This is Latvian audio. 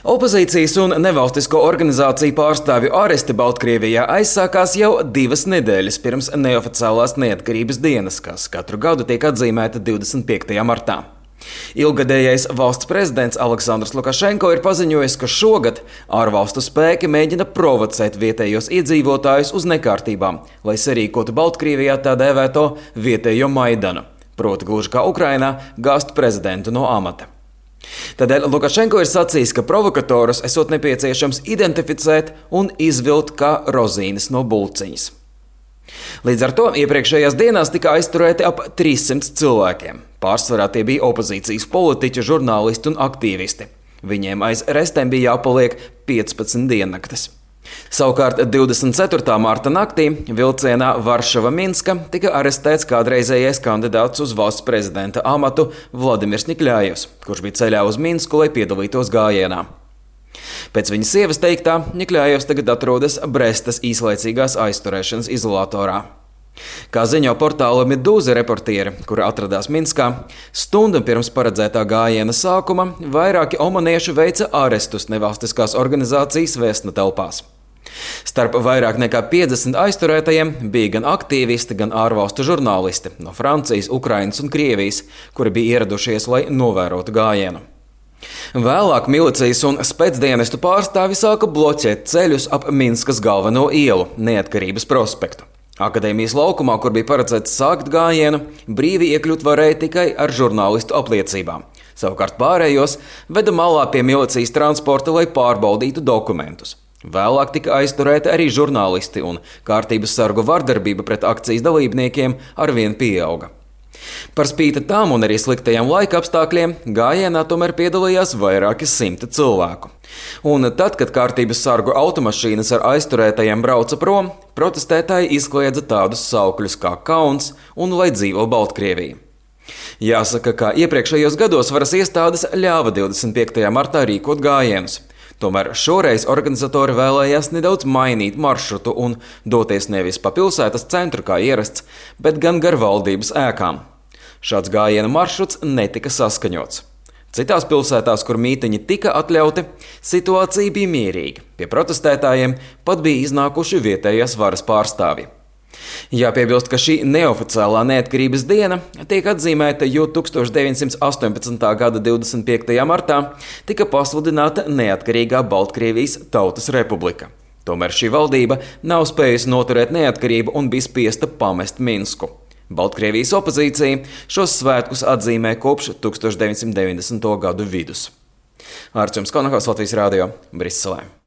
Opozīcijas un nevalstisko organizāciju pārstāvju aresti Baltkrievijā aizsākās jau 2 nedēļas pirms neoficiālās neatkarības dienas, kas katru gadu tiek atzīmēta 25. martā. Ilgadējais valsts prezidents Aleksandrs Lukašenko ir paziņojis, ka šogad ārvalstu spēki mēģina provocēt vietējos iedzīvotājus uz nekārtībām, lai sarīkotu Baltkrievijā tā dēvēto vietējo Maidanu, proti gluži kā Ukrainā gāzt prezidentu no amata. Tādēļ Lukašenko ir sacījis, ka provokatorus esot nepieciešams identificēt un izvilkt kā rozīnes no bulciņas. Līdz ar to iepriekšējās dienās tika aizturēti ap 300 cilvēkiem. Pārsvarā tie bija opozīcijas politiķi, žurnālisti un aktīvisti. Viņiem aiz restēm bija jāpaliek 15 diennaktes. Savukārt 24. marta naktī vilcienā Varšava-Minska tika arestēts kādreizējais kandidāts uz valsts prezidenta amatu Vladimirs Ņikļājevs, kurš bija ceļā uz Minsku, lai piedalītos gājienā. Pēc viņa sievas teiktā, Ņikļājevs tagad atrodas Brestas īslaicīgās aizturēšanas izolatorā. Kā ziņo portāla Medūza reportieri, kura atradās Minskā, stundu pirms paredzētā gājiena sākuma vairāki omanieši veica arestus nevalstiskās organizācijas vēstna telpās. Starp vairāk nekā 50 aizturētajiem bija gan aktīvisti, gan ārvalstu žurnālisti no Francijas, Ukrainas un Krievijas, kuri bija ieradušies, lai novērotu gājienu. Vēlāk milicijas un spēcdienestu pārstāvi sāka bloķēt ceļus ap Minskas galveno ielu, Neatkarības prospektu. Akadēmijas laukumā, kur bija paredzēts sākt gājienu, brīvi iekļūt varēja tikai ar žurnālistu apliecībām. Savukārt pārējos veda malā pie milicijas transporta, lai pārbaudītu dokumentus. Vēlāk tika aizturēti arī žurnālisti, un kārtības sargu vardarbība pret akcijas dalībniekiem arvien pieauga. Par spīti tām un arī sliktajiem laika apstākļiem gājienā tomēr piedalījās vairāki simti cilvēku. Un tad, kad kārtības sargu automašīnas ar aizturētajiem brauca prom, protestētāji izkliedza tādus saukļus kā kauns un lai dzīvo Baltkrievija. Jāsaka, ka iepriekšējos gados varas iestādes ļāva 25. martā rīkot gājienus. Tomēr šoreiz organizatori vēlējās nedaudz mainīt maršrutu un doties nevis pa pilsētas centru kā ierasts, bet gan gar valdības ēkām. Šāds gājiena maršruts netika saskaņots. Citās pilsētās, kur mītiņi tika atļauti, situācija bija mierīga. Pie protestētājiem pat bija iznākuši vietējās varas pārstāvji. Jāpiebilst, ka šī neoficiālā neatkarības diena tiek atzīmēta, jo 1918. gada 25. martā tika pasludināta neatkarīgā Baltkrievijas Tautas Republika. Tomēr šī valdība nav spējusi noturēt neatkarību un bija spiesta pamest Minsku. Baltkrievijas opozīcija šos svētkus atzīmē kopš 1990. gadu vidus. Arčuns Konakovs, Latvijas Rādio, Briselē.